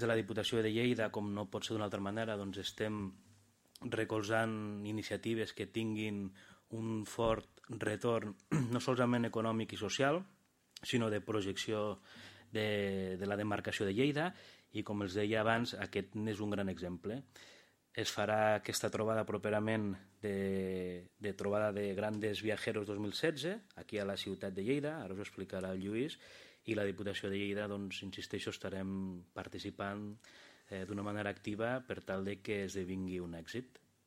Des de la Diputació de Lleida, com no pot ser d'una altra manera, doncs estem recolzant iniciatives que tinguin un fort retorn no solament econòmic i social, sinó de projecció de la demarcació de Lleida, i com els deia abans, aquest n'és un gran exemple. Es farà aquesta trobada properament de trobada de Grandes Viajeros 2016, aquí a la ciutat de Lleida, ara us ho explicarà el Lluís, i la Diputació de Lleida, doncs, insisteixo, estarem participant d'una manera activa per tal de que esdevingui un èxit.